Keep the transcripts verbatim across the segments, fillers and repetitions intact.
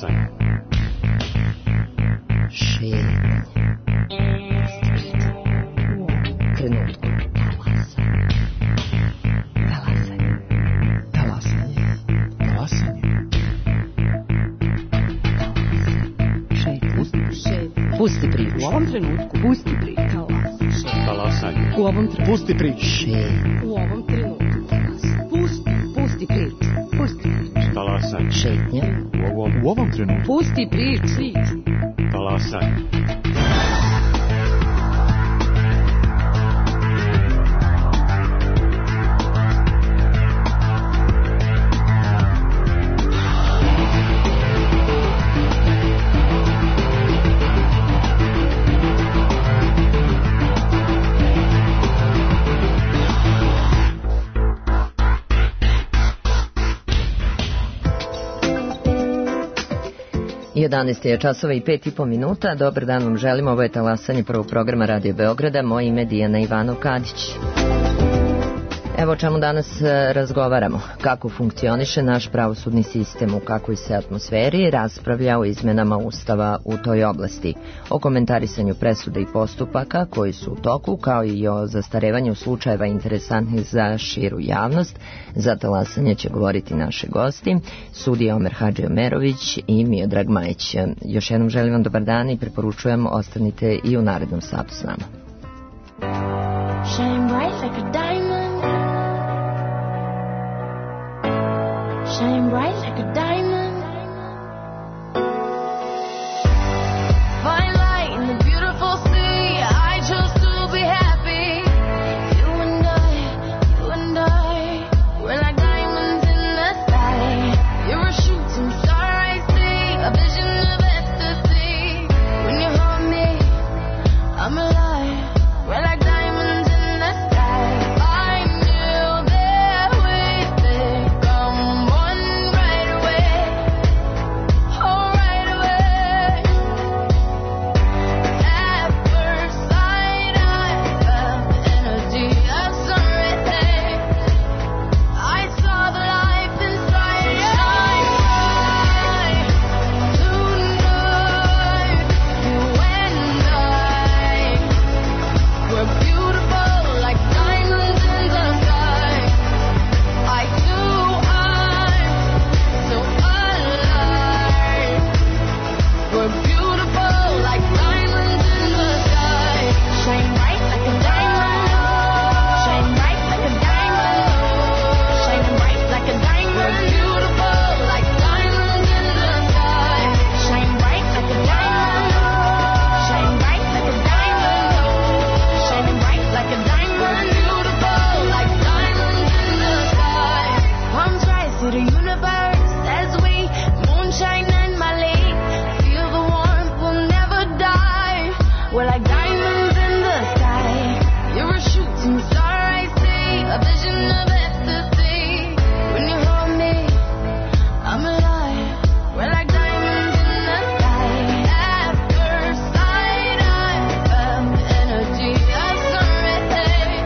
Talasanje. Šetnja. Trenutku. Talasanje. Talasanje. Talasanje. Šetnja. Šetnja. Pusti priču. U ovom trenutku. Pusti priču. Talasanje. U ovom trenutku. Pusti priču. Šetnja. U ovom trenutku. Pusti, pusti priču. Pusti priču. Talasanje. Šetnja. U ovom, U ovom trenutku. Pusti priču. talasanje. jedanaest je časova i pet i po minuta. Dobar dan vam želimo. Ovo je talasanje prvog programa Radio Beograda. Moje ime je Dijana Ivanov-Kadić. Evo o čemu danas razgovaramo. Kako funkcioniše naš pravosudni sistem, u kakvoj se atmosferi raspravlja o izmenama Ustava u toj oblasti, o komentarisanju presuda i postupaka koji su u toku, kao i o zastarevanju slučajeva interesantnih za širu javnost. Za talasanje će govoriti naše gosti, sudija Omer Hadžiomerović i Miodrag Majić. Još jednom želim vam dobar dan i preporučujem ostanite i u narednom satu s nama. Shine bright like a diamond. Shine bright like a diamond. Find light in the beautiful sea. I chose to be happy. You and I, you and I, we're like diamonds in the sky. You're a shooting star I see, a vision of ecstasy. When you hold me, I'm alive. We're like diamonds in the sky. I knew that we'd become one right away. Oh, right away. At first sight, I felt the energy of sun rising. I saw the life inside you. Shine bright tonight. You and I, we're beautiful like diamonds in the sky. I too, I'm so alive. We're beautiful like diamonds in the sky. Shine bright like a diamond. Shine bright like a diamond. Shine bright like a diamond. We're beautiful like diamonds in the sky. Shine bright like a diamond. Shine bright like a diamond. Shining bright like a diamond. Beautiful like diamonds in the sky. Palms rise to the universe as we moonshine and Mali. Feel the warmth, we'll never die. We're like diamonds in the sky. You're a shooting star I see, a vision of ecstasy. When you hold me, I'm alive. We're like diamonds in the sky. At first sight, I felt the energy of sun rising.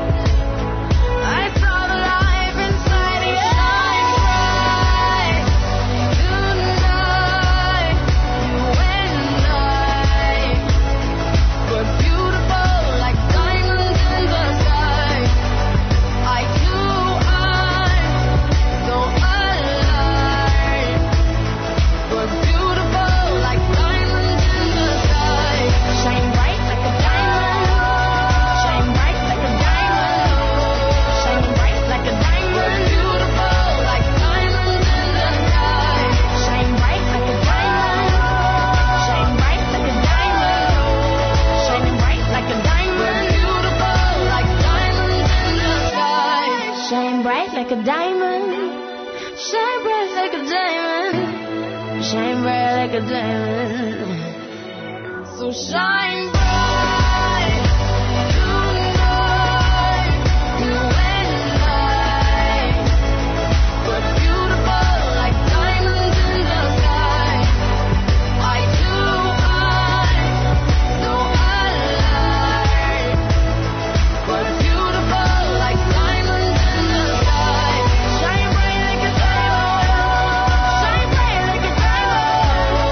I saw the life inside you. Shine bright tonight. You and I, we're beautiful like diamonds in the sky. I too, I'm so alive. We're beautiful like diamonds in the sky. Shine bright like a diamond. Shine bright like a diamond. Shine bright like a diamond. We're beautiful like diamonds in the sky. Shine bright like a diamond. Shine bright like a diamond. Shining bright like a diamond. We're beautiful like diamonds in the sky. Shine bright like a diamond. Shine bright like a diamond. Shine bright like a diamond. So shine bright tonight. You and I, we're beautiful like diamonds in the sky. I too, I'm so alive. We're beautiful like diamonds in the sky. Shine bright like a diamond. Shine bright like a diamond.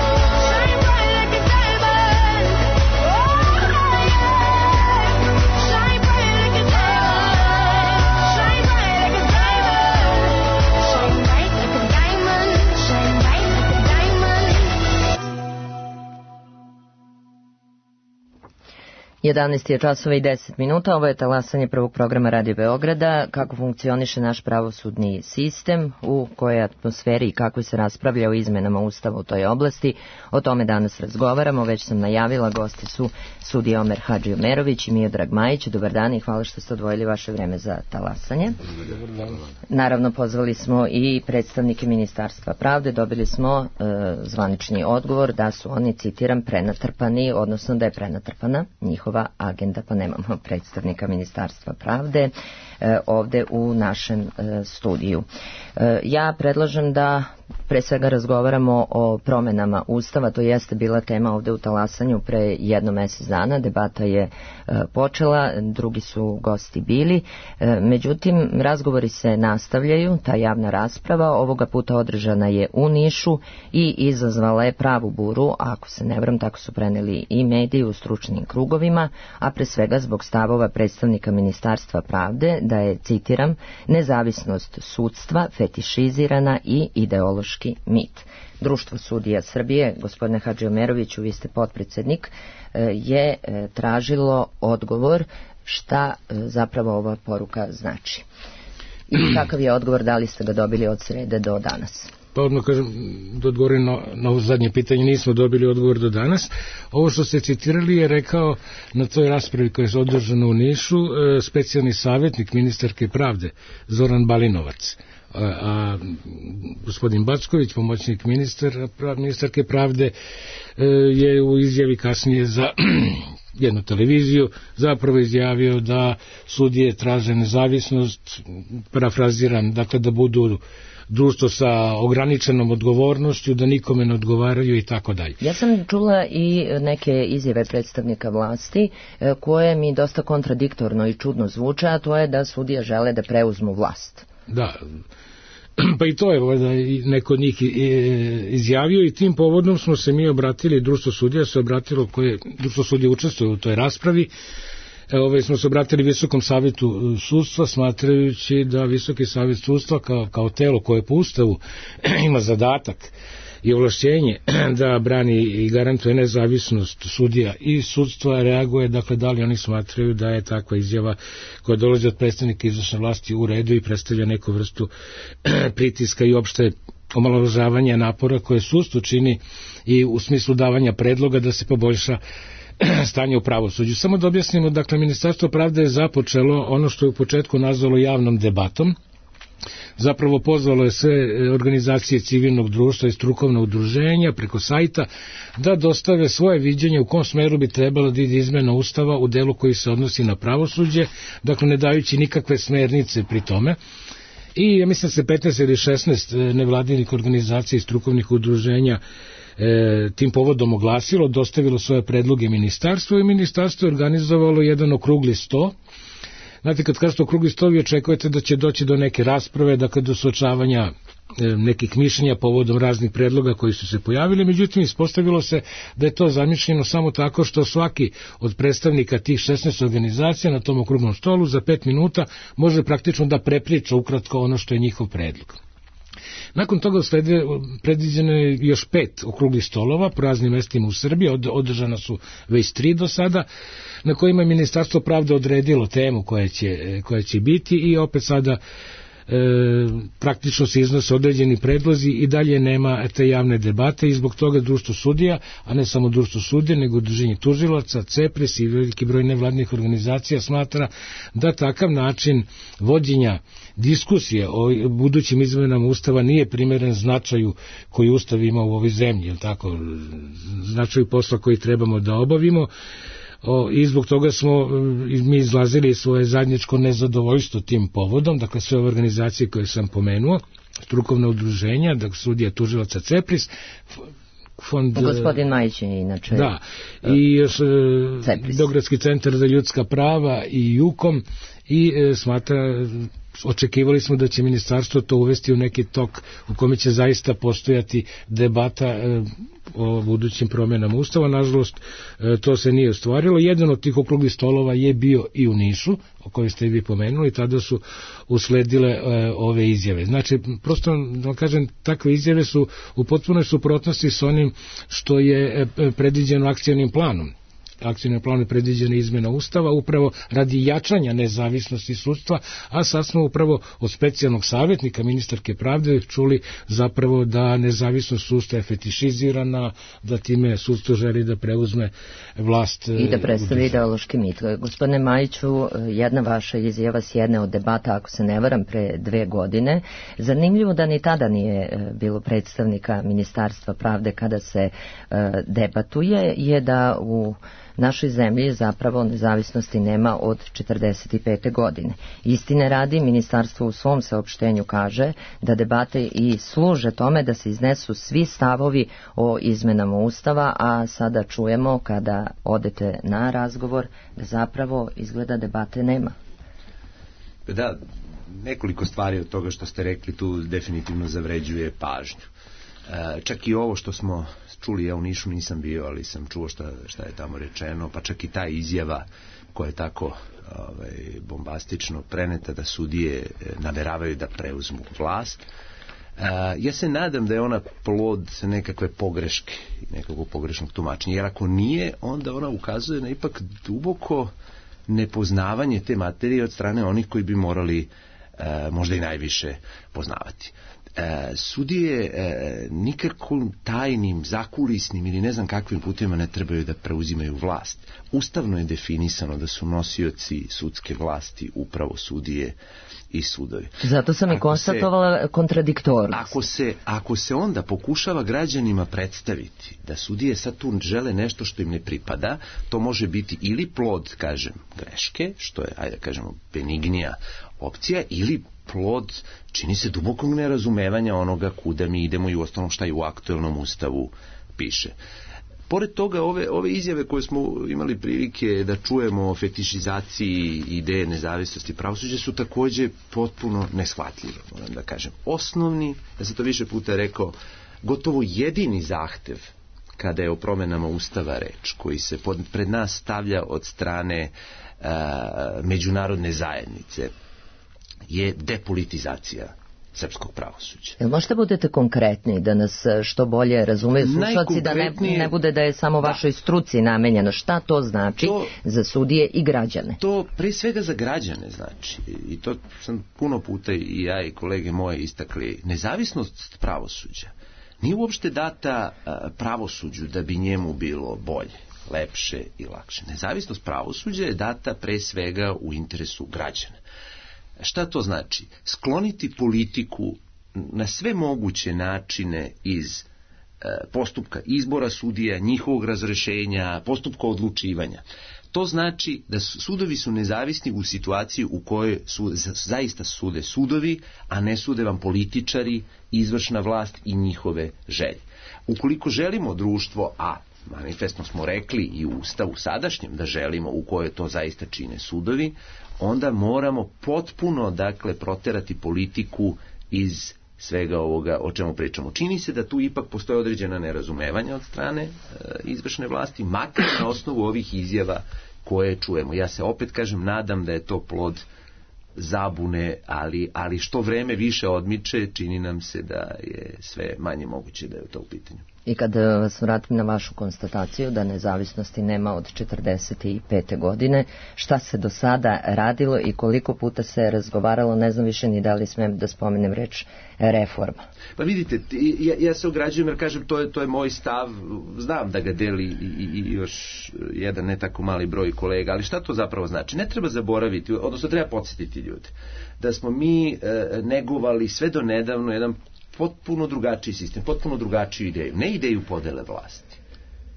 jedanaest je časova i deset minuta, ovo je talasanje prvog programa Radio Beograda, kako funkcioniše naš pravosudni sistem, u kojoj atmosferi i kako se raspravlja o izmenama Ustava u toj oblasti. O tome danas razgovaramo, već sam najavila, gosti su sudija Omer Hadžiomerović i Miodrag Majić. Dobar dan i hvala što ste odvojili vaše vreme za talasanje. Naravno, pozvali smo i predstavnike Ministarstva pravde, dobili smo e, zvanični odgovor da su oni, citiram, prenatrpani, odnosno da je prenatrpana njihova agenda, pa nemamo predstavnika Ministarstva pravde e, ovde u našem e, studiju. E, ja predlažem da pre svega razgovaramo o promenama Ustava, to jeste bila tema ovde u talasanju pre jedno mesec dana, debata je e, počela, drugi su gosti bili, e, međutim razgovori se nastavljaju, ta javna rasprava ovoga puta održana je u Nišu i izazvala je pravu buru, ako se ne varam, tako su preneli i mediji u stručnim krugovima, a pre svega zbog stavova predstavnika Ministarstva pravde da je, citiram, nezavisnost sudstva fetišizirana i ideološki mit. Društvo sudija Srbije, gospodine Hadžiomeroviću, vi ste potpredsednik, je tražilo odgovor šta zapravo ova poruka znači. I kakav je odgovor, da li ste ga dobili od srede do danas? Pa odmah kažem, da odgovorim na, na ovo zadnje pitanje, nismo dobili odgovor do danas. Ovo što ste citirali je rekao na toj raspravi koja je održana u Nišu e, specijalni savjetnik ministarke pravde Zoran Balinovac. A, a gospodin Backović, pomoćnik ministar, prav, ministarke pravde, e, je u izjavi kasnije za jednu televiziju zapravo izjavio da sudije traže nezavisnost, parafraziram, dakle da budu društvo sa ograničenom odgovornošću, da nikome ne odgovaraju i tako dalje. Ja sam čula i neke izjave predstavnika vlasti koje mi dosta kontradiktorno i čudno zvuče, a to je da sudije žele da preuzmu vlast. Da, pa i to je da neko od njih izjavio i tim povodom smo se mi obratili, društvo sudija se obratilo, koje društvo sudija učestvuje u toj raspravi. Ove, smo se obratili Visokom savjetu sudstva, smatrajući da Visoki savjet sudstva kao, kao telo koje po Ustavu ima zadatak i ovlašćenje da brani i garantuje nezavisnost sudija i sudstva, reaguje, dakle, da li oni smatraju da je takva izjava koja dolazi od predstavnika izvršne vlasti u redu i predstavlja neku vrstu pritiska i opšte omalovažavanja napora koje sudstvo čini i u smislu davanja predloga da se poboljša stanje u pravosuđu. Samo da objasnimo, dakle, Ministarstvo pravde je započelo ono što je u početku nazvalo javnom debatom. Zapravo pozvalo je sve organizacije civilnog društva i strukovna udruženja preko sajta da dostave svoje viđenje u kom smeru bi trebalo da ide izmena Ustava u delu koji se odnosi na pravosuđe, dakle ne dajući nikakve smernice pri tome. I ja mislim da se petnaest ili šesnaest nevladinih organizacija i strukovnih udruženja E, tim povodom oglasilo, dostavilo svoje predloge ministarstvu i ministarstvo je organizovalo jedan okrugli sto. Znate, kad kažete okrugli sto, vi očekujete da će doći do neke rasprave, dakle do suočavanja e, nekih mišljenja povodom raznih predloga koji su se pojavili, međutim ispostavilo se da je to zamišljeno samo tako što svaki od predstavnika tih šesnaest organizacija na tom okruglom stolu za pet minuta može praktično da prepriča ukratko ono što je njihov predlog. Nakon toga slede, predviđeno je još pet okruglih stolova po raznim mestima u Srbiji, od, održana su već tri do sada, na kojima je Ministarstvo pravde odredilo temu koja će, koja će biti i opet sada e, praktično se iznose određeni predlozi i dalje nema te javne debate i zbog toga društvo sudija, a ne samo društvo sudija, nego udruženje tužilaca, CEPRIS i veliki broj nevladnih organizacija smatra da takav način vođenja diskusije o budućim izmenama Ustava nije primeren značaju koji Ustav ima u ovoj zemlji, je li tako, značaju posla koji trebamo da obavimo. O, i zbog toga smo mi izlazili svoje zajedničko nezadovoljstvo tim povodom, dakle sve ove organizacije koje sam pomenuo, strukovna udruženja, dakle sudija tužilaca CEPRIS, fond... Gospodin Majić je inače... Da, i još Beogradski centar za ljudska prava i JUKOM i e, smatra... Očekivali smo da će ministarstvo to uvesti u neki tok u kome će zaista postojati debata e, o budućim promjenama Ustava. Nažalost, e, to se nije ostvarilo. Jedan od tih okruglih stolova je bio i u Nišu, o kojoj ste i vi pomenuli, tada su usledile e, ove izjave. Znači, prosto, da kažem, takve izjave su u potpunoj suprotnosti s onim što je e, predviđeno akcionim planom akcijnom planu je predviđena izmena Ustava, upravo radi jačanja nezavisnosti sudstva, a sad smo upravo od specijalnog savjetnika ministarke pravde čuli zapravo da nezavisnost sudstva je fetišizirana, da time sudstvo želi da preuzme vlast. I da predstavi ideološki mit. Gospodine Majiću, jedna vaša izjava s jedne od debata, ako se ne varam, pre dve godine. Zanimljivo da ni tada nije bilo predstavnika Ministarstva pravde kada se debatuje, je da u našoj zemlji zapravo nezavisnosti nema od četrdeset pete godine. Istine radi, ministarstvo u svom saopštenju kaže da debate i služe tome da se iznesu svi stavovi o izmenama Ustava, a sada čujemo kada odete na razgovor da zapravo izgleda debate nema. Da, nekoliko stvari od toga što ste rekli tu definitivno zavređuje pažnju. E, čak i ovo što smo čuli, ja u Nišu nisam bio, ali sam čuo šta, šta je tamo rečeno, pa čak i ta izjava koja je tako ovaj, bombastično preneta da sudije nameravaju da preuzmu vlast. E, ja se nadam da je ona plod nekakve pogreške, nekakvog pogrešnog tumačenja, jer ako nije, onda ona ukazuje na ipak duboko nepoznavanje te materije od strane onih koji bi morali e, možda i najviše poznavati. E, sudije e, nikakvim tajnim, zakulisnim ili ne znam kakvim putima ne trebaju da preuzimaju vlast. Ustavno je definisano da su nosioci sudske vlasti upravo sudije i sudovi. Zato sam i konstatovala kontradiktornost. Ako se, ako se onda pokušava građanima predstaviti da sudije sad tu žele nešto što im ne pripada, to može biti ili plod, kažem, greške, što je, ajde kažemo, benignija opcija, ili plod, čini se, dubokog nerazumevanja onoga kuda mi idemo i u ostalom šta i u aktuelnom ustavu piše. Pored toga, ove, ove izjave koje smo imali prilike da čujemo o fetišizaciji ideje nezavisnosti pravosuđa su takođe potpuno neshvatljive, moram da kažem. Osnovni, ja sam to više puta rekao, gotovo jedini zahtev kada je o promenama Ustava reč, koji se pod, pred nas stavlja od strane a, međunarodne zajednice, je depolitizacija srpskog pravosuđa. Jel možete budete konkretni da nas što bolje razumeju slušalci, da ne, ne bude da je samo da. vašoj struci namenjeno? Šta to znači to, za sudije i građane? To pre svega za građane znači, i to sam puno puta i ja i kolege moje istakli, nezavisnost pravosuđa nije uopšte data pravosuđu da bi njemu bilo bolje, lepše i lakše. Nezavisnost pravosuđa je data pre svega u interesu građana. Šta to znači? Skloniti politiku na sve moguće načine iz e, postupka izbora sudija, njihovog razrešenja, postupka odlučivanja. To znači da su, sudovi su nezavisni u situaciji u kojoj su, zaista sude sudovi, a ne sude vam političari, izvršna vlast i njihove želje. Ukoliko želimo društvo, a manifestno smo rekli i u Ustavu sadašnjem da želimo, u kojoj to zaista čine sudovi, onda moramo potpuno, dakle, proterati politiku iz svega ovoga o čemu pričamo. Čini se da tu ipak postoje određena nerazumevanja od strane e, izvršne vlasti, makar na osnovu ovih izjava koje čujemo. Ja se opet kažem, nadam da je to plod zabune, ali, ali što vreme više odmiče, čini nam se da je sve manje moguće da je to u pitanju. I kad vas vratim na vašu konstataciju da nezavisnosti nema od četrdeset pete godine, šta se do sada radilo i koliko puta se razgovaralo, ne znam više ni da li smem da spomenem reč reforma. Pa vidite, ja, ja se ograđujem jer kažem, to je, to je moj stav, znam da ga deli i, i još jedan ne tako mali broj kolega, ali šta to zapravo znači? Ne treba zaboraviti, odnosno treba podsjetiti ljude, da smo mi e, negovali sve do nedavno jedan potpuno drugačiji sistem, potpuno drugačiju ideju. Ne ideju podele vlasti,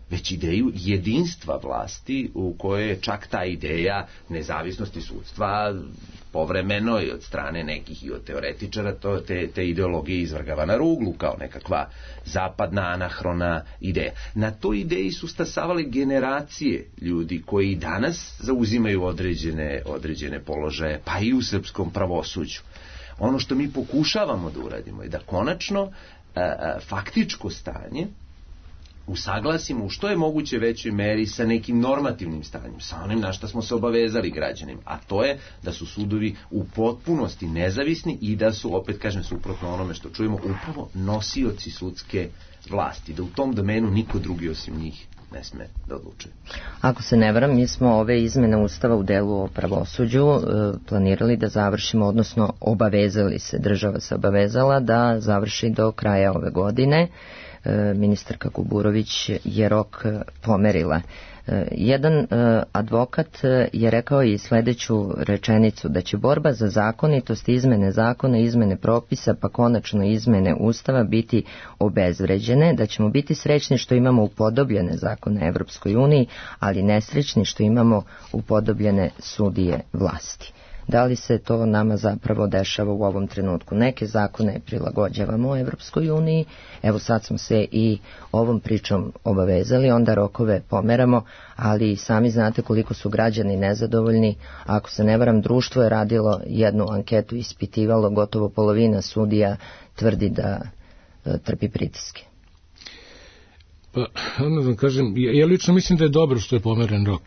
već ideju jedinstva vlasti u kojoj je čak ta ideja nezavisnosti sudstva povremeno i od strane nekih i od teoretičara to, te, te ideologije izvrgava na ruglu kao nekakva zapadna anahrona ideja. Na toj ideji su stasavale generacije ljudi koji danas zauzimaju određene, određene položaje, pa i u srpskom pravosuđu. Ono što mi pokušavamo da uradimo je da konačno a, a, faktičko stanje usaglasimo u što je moguće većoj meri sa nekim normativnim stanjem, sa onim na što smo se obavezali građanima, a to je da su sudovi u potpunosti nezavisni i da su, opet kažem, suprotno onome što čujemo, upravo nosioci sudske vlasti, da u tom domenu niko drugi osim njih ne sme da odlučuje. Ako se ne varam, mi smo ove izmene Ustava u delu o pravosuđu e, planirali da završimo, odnosno obavezali se, država se obavezala da završi do kraja ove godine. E, ministarka Kuburović je rok e, pomerila. E, jedan e, advokat e, je rekao i sledeću rečenicu, da će borba za zakonitost, izmene zakona, izmene propisa, pa konačno izmene Ustava biti obezvređene, da ćemo biti srećni što imamo upodobljene zakone Evropskoj uniji, ali nesrećni što imamo upodobljene sudije vlasti. Da li se to nama zapravo dešava u ovom trenutku? Neke zakone prilagođavamo Evropskoj uniji, evo sad smo se i ovom pričom obavezali, onda rokove pomeramo, ali sami znate koliko su građani nezadovoljni. Ako se ne varam, društvo je radilo jednu anketu, ispitivalo, gotovo polovina sudija tvrdi da e, trpi pritiske. Pa, onda vam kažem, ja, ja lično mislim da je dobro što je pomeren rok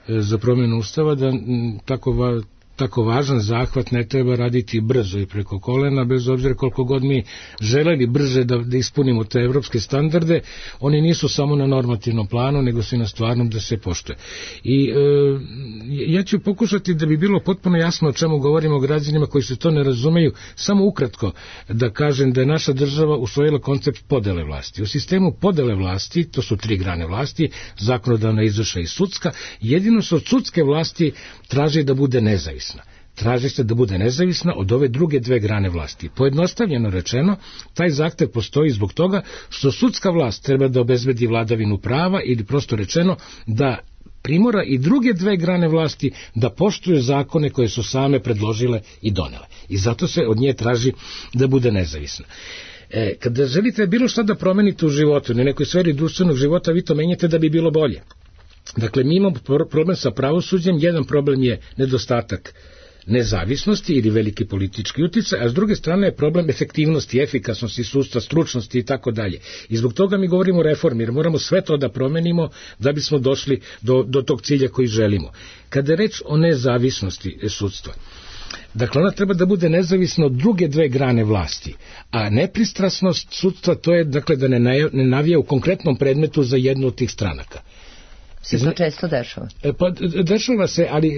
e, za promjenu Ustava, da m, tako va, tako važan zahvat ne treba raditi brzo i preko kolena, bez obzira koliko god mi želeli brže da, da ispunimo te evropske standarde, oni nisu samo na normativnom planu, nego su i na stvarnom da se poštuje. I e, ja ću pokušati da bi bilo potpuno jasno o čemu govorimo građanima koji se to ne razumeju, samo ukratko da kažem da je naša država usvojila koncept podele vlasti. U sistemu podele vlasti, to su tri grane vlasti, zakonodavna, izvršna i sudska, jedino se od sudske vlasti traži da bude nezavisna. Traži se da bude nezavisna od ove druge dve grane vlasti. Pojednostavljeno rečeno, taj zahtev postoji zbog toga što sudska vlast treba da obezbedi vladavinu prava ili prosto rečeno da primora i druge dve grane vlasti da poštuju zakone koje su same predložile i donele. I zato se od nje traži da bude nezavisna. E, kada želite bilo šta da promenite u životu, na nekoj sferi društvenog života, vi to menjate da bi bilo bolje. Dakle, mi imamo problem sa pravosuđem, jedan problem je nedostatak nezavisnosti ili veliki politički uticaj, a s druge strane je problem efektivnosti, efikasnosti sudstva, stručnosti i tako dalje. I zbog toga mi govorimo o reformi, jer moramo sve to da promenimo da bismo došli do, do tog cilja koji želimo. Kada je reč o nezavisnosti sudstva, dakle, ona treba da bude nezavisna od druge dve grane vlasti, a nepristrasnost sudstva to je, dakle, da ne, ne navija u konkretnom predmetu za jednu od tih stranaka. Se to često dešava? Pa dešava se, ali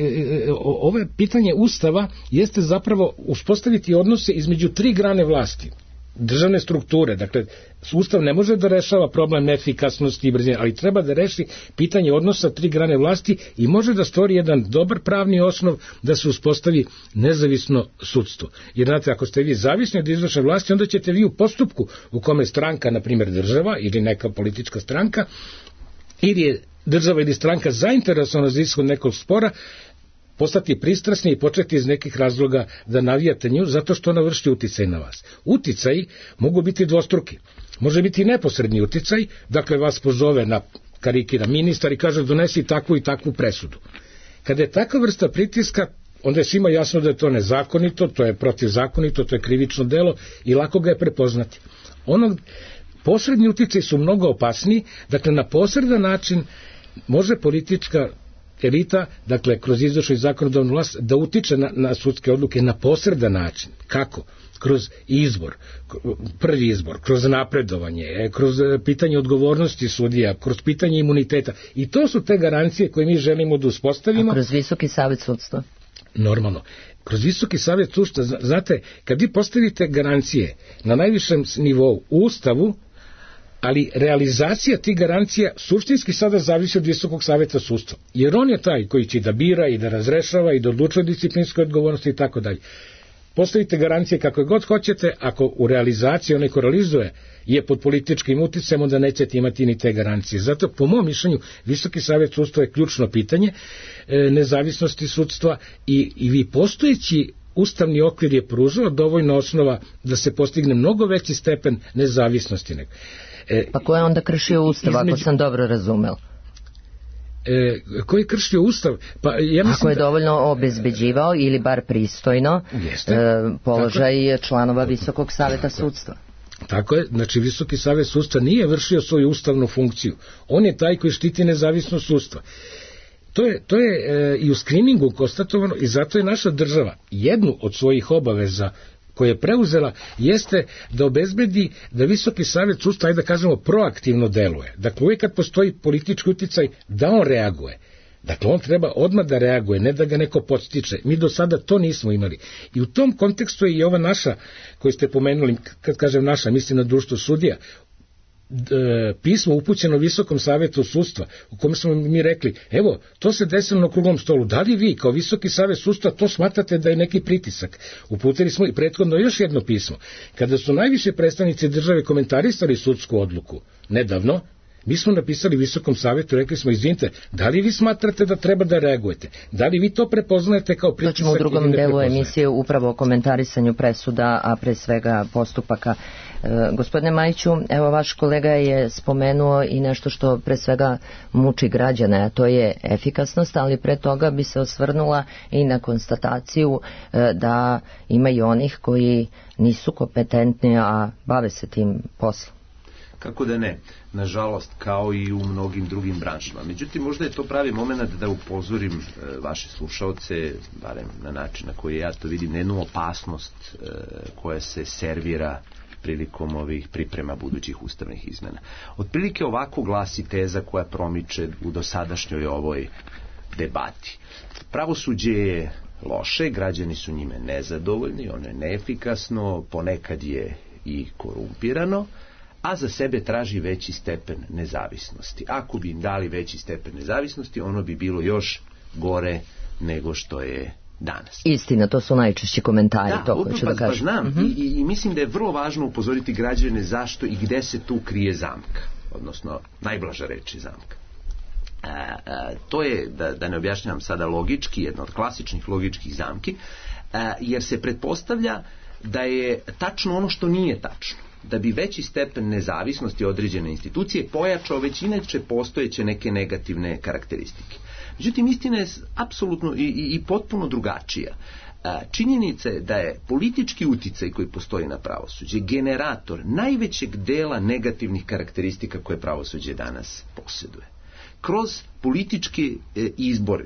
ovo pitanje Ustava jeste zapravo uspostaviti odnose između tri grane vlasti, državne strukture. Dakle, Ustav ne može da rešava problem efikasnosti i brzine, ali treba da reši pitanje odnosa tri grane vlasti i može da stvori jedan dobar pravni osnov da se uspostavi nezavisno sudstvo. Jer, znate, ako ste vi zavisni od izvršne vlasti, onda ćete vi u postupku u kome stranka, na primjer država ili neka politička stranka, ili je država ili stranka zainteresovana za ishod nekog spora, postati pristrasni i početi iz nekih razloga da navijate nju zato što ona vrši uticaj na vas. Uticaji mogu biti dvostruki. Može biti neposredni uticaj, dakle vas pozove na karikira ministar i kaže donesi takvu i takvu presudu. Kada je takva vrsta pritiska, onda je svima jasno da je to nezakonito, to je protivzakonito, to je krivično delo i lako ga je prepoznati. Onog posredni uticaj su mnogo opasniji, dakle na posredan način može politička elita, dakle kroz izvršnu i zakonodavnu vlast, da utiče na, na sudske odluke na posredan način. Kako? Kroz izbor, prvi izbor, kroz napredovanje, kroz pitanje odgovornosti sudija, kroz pitanje imuniteta. I to su te garancije koje mi želimo da uspostavimo. A kroz Visoki savet sudstva? Normalno. Kroz Visoki savet sudstva, znate, kad vi postavite garancije na najvišem nivou u Ustavu, ali realizacija tih garancija suštinski sada zavisi od Visokog saveta sudstva. Jer on je taj koji će da bira i da razrešava i da odlučuje disciplinskoj odgovornosti i tako dalje. Postavite garancije kako god hoćete, ako u realizaciji onaj ko realizuje je pod političkim uticajem, onda nećete imati ni te garancije. Zato, po mom mišljenju, Visoki savet sudstva je ključno pitanje e, nezavisnosti sudstva i, i vi postojeći ustavni okvir je pružao dovoljno osnova da se postigne mnogo veći stepen nezavisnosti. E, pa ko je onda kršio Ustav, između... ako sam dobro razumel? E, ko je kršio Ustav? Pa, ja mislim ako je da... dovoljno obezbeđivao ili bar pristojno Jeste, e, položaj tako... članova Visokog saveta sudstva. Tako je, znači Visoki savet sudstva nije vršio svoju ustavnu funkciju. On je taj koji štiti nezavisnost sudstva. To je, to je e, i u skriningu konstatovano i zato je naša država jednu od svojih obaveza koje je preuzela jeste da obezbedi da Visoki savet sudstva, ajde da kažemo, proaktivno deluje. Dakle, uvijek kad postoji politički uticaj, da on reaguje. Dakle, on treba odmah da reaguje, ne da ga neko podstiče. Mi do sada to nismo imali. I u tom kontekstu je i ova naša, koju ste pomenuli, kad kažem naša, mislim na društvo sudija, pismo upućeno Visokom savetu sudstva, u kome smo mi rekli, evo, to se desilo na okruglom stolu, da li vi kao Visoki savet sudstva to smatrate da je neki pritisak? Uputili smo i prethodno još jedno pismo. Kada su najviše predstavnici države komentarisali sudsku odluku nedavno, mi smo napisali Visokom savetu, rekli smo, izvinite, da li vi smatrate da treba da reagujete? Da li vi to prepoznajete kao pritisak? To ćemo u drugom delu emisije upravo o komentarisanju presuda, a pre svega postupaka. E, gospodine Majiću, evo vaš kolega je spomenuo i nešto što pre svega muči građane, a to je efikasnost, ali pre toga bi se osvrnula i na konstataciju e, da ima i onih koji nisu kompetentni, a bave se tim poslom. Kako da ne, nažalost, kao i u mnogim drugim branšama. Međutim, možda je to pravi moment da upozorim e, vaše slušaoce, barem na način na koji ja to vidim, na jednu opasnost e, koja se servira prilikom ovih priprema budućih ustavnih izmena. Otprilike ovako glasi teza koja promiče u dosadašnjoj ovoj debati. Pravosuđe je loše, građani su njime nezadovoljni, ono je neefikasno, ponekad je i korumpirano, a za sebe traži veći stepen nezavisnosti. Ako bi im dali veći stepen nezavisnosti, ono bi bilo još gore nego što je danas. Istina, to su najčešći komentari. Da, to hoću pa, da kažem. Pa znam, uh-huh. I, i mislim da je vrlo važno upozoriti građane zašto i gde se tu krije zamka, odnosno najblaža reč je zamka. A, a, to je, da, da ne objašnjavam sada logički, jedna od klasičnih logičkih zamki, a, jer se pretpostavlja da je tačno ono što nije tačno, da bi veći stepen nezavisnosti određene institucije pojačao već inače postojeće neke negativne karakteristike. Međutim, istina je apsolutno i, i, i potpuno drugačija. Činjenica je da je politički uticaj koji postoji na pravosuđe generator najvećeg dela negativnih karakteristika koje pravosuđe danas posjeduje. Kroz politički izbor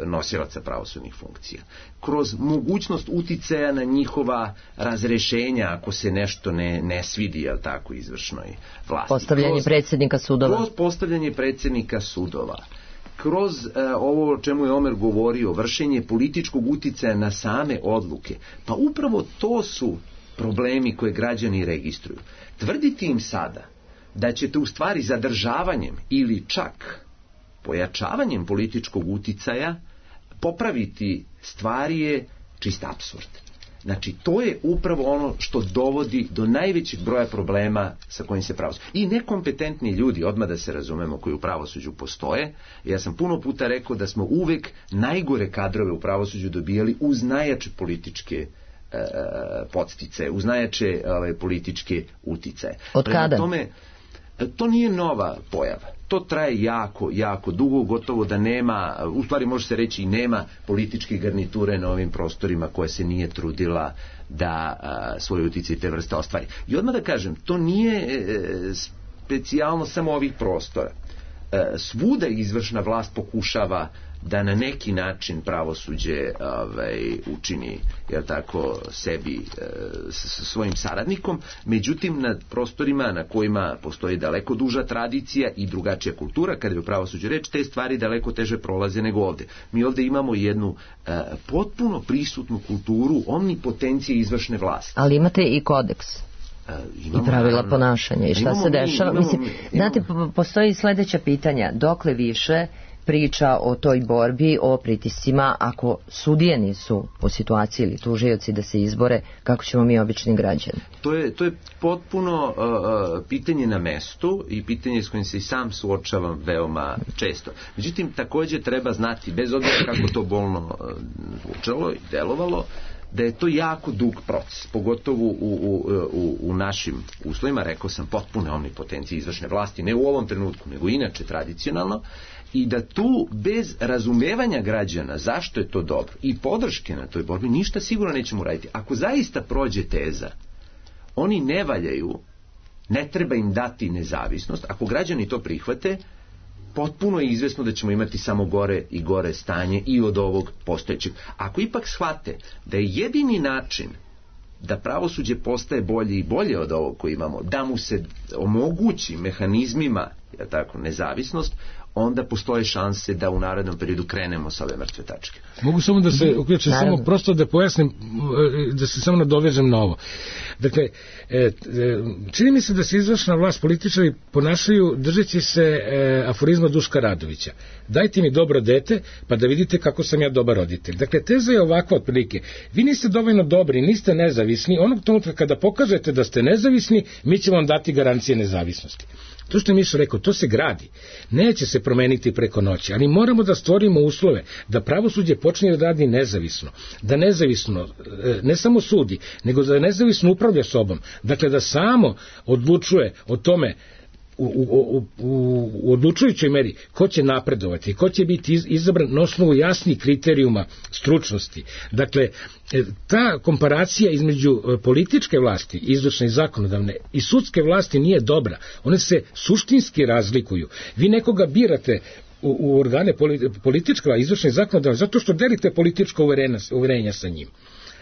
nosilaca pravosudnih funkcija, kroz mogućnost uticaja na njihova razrešenja ako se nešto ne, ne svidi, jel tako, izvršnoj vlasti. Postavljanje kroz, predsjednika sudova. Kroz postavljanje predsjednika sudova. Kroz uh, ovo o čemu je Omer govorio, vršenje političkog uticaja na same odluke. Pa upravo to su problemi koje građani registruju. Tvrditi im sada da ćete u stvari zadržavanjem ili čak pojačavanjem političkog uticaja popraviti stvari je čist apsurd. Znači, to je upravo ono što dovodi do najvećeg broja problema sa kojim se pravosuđe. I nekompetentni ljudi, odmah da se razumemo, koji u pravosuđu postoje. Ja sam puno puta rekao da smo uvek najgore kadrove u pravosuđu dobijali uz najjače političke e, podsticaje, uz najjače ove, političke uticaje. Od kada? Prema tome, to nije nova pojava. To traje jako, jako dugo, gotovo da nema, u stvari može se reći i nema političke garniture na ovim prostorima koja se nije trudila da a, svoj uticaj te vrste ostvari. I odmah da kažem, to nije e, specijalno samo ovih prostora. E, svuda izvršna vlast pokušava da na neki način pravosuđe ovaj, učini, jer tako, sebi e, s svojim saradnikom, međutim na prostorima na kojima postoji daleko duža tradicija i drugačija kultura, kada je u pravosuđu reč, te stvari daleko teže prolaze nego ovde. Mi ovde imamo jednu e, potpuno prisutnu kulturu omnipotencije izvršne vlasti. Ali imate i kodeks. Imamo, i pravila naravno, ponašanja i šta imamo, se dešava. Imamo, Mislim, imamo, znate, postoji sledeća pitanja. Dokle više priča o toj borbi, o pritiscima, ako sudije nisu u situaciji ili tužioci da se izbore, kako ćemo mi obični građani? To je, to je potpuno uh, pitanje na mestu i pitanje s kojim se i sam suočavam veoma često. Međutim, takođe treba znati, bez obzira kako to bolno uh, zvučalo i delovalo, da je to jako dug proces, pogotovo u, u, u, u našim uslovima, rekao sam, potpune omnipotencije izvršne vlasti, ne u ovom trenutku, nego inače tradicionalno, i da tu bez razumevanja građana zašto je to dobro i podrške na toj borbi ništa sigurno nećemo raditi. Ako zaista prođe teza, oni ne valjaju, ne treba im dati nezavisnost, ako građani to prihvate, potpuno je izvesno da ćemo imati samo gore i gore stanje i od ovog postojećeg. Ako ipak shvate da je jedini način da pravosuđe postaje bolje i bolje od ovog koji imamo, da mu se omogući mehanizmima, ja tako, nezavisnost, onda postoje šanse da u narednom periodu krenemo sa ove mrtve tačke. Mogu samo da se uključim, samo prosto da pojasnim, da se samo nadovežem na ovo. Dakle, čini mi se da se izvršna vlast, političari ponašaju držeći se aforizma Duška Radovića. Dajte mi dobro dete, pa da vidite kako sam ja dobar roditelj. Dakle, teza je ovakva otprilike. Vi niste dovoljno dobri, niste nezavisni, onog trenutka kada pokažete da ste nezavisni, mi ćemo vam dati garancije nezavisnosti. To što je Miša rekao, to se gradi. Neće se promeniti preko noći, ali moramo da stvorimo uslove da pravosuđe počne da radi nezavisno. Da nezavisno, ne samo sudi, nego da nezavisno upravlja sobom. Dakle, da samo odlučuje o tome U, u, u, u odlučujućoj meri ko će napredovati, ko će biti izabran na osnovu jasnih kriterijuma stručnosti. Dakle, ta komparacija između političke vlasti, izvršne i zakonodavne, i sudske vlasti nije dobra. One se suštinski razlikuju. Vi nekoga birate u, u organe političke, izvršne i zakonodavne zato što delite političko uverenja, uverenja sa njim.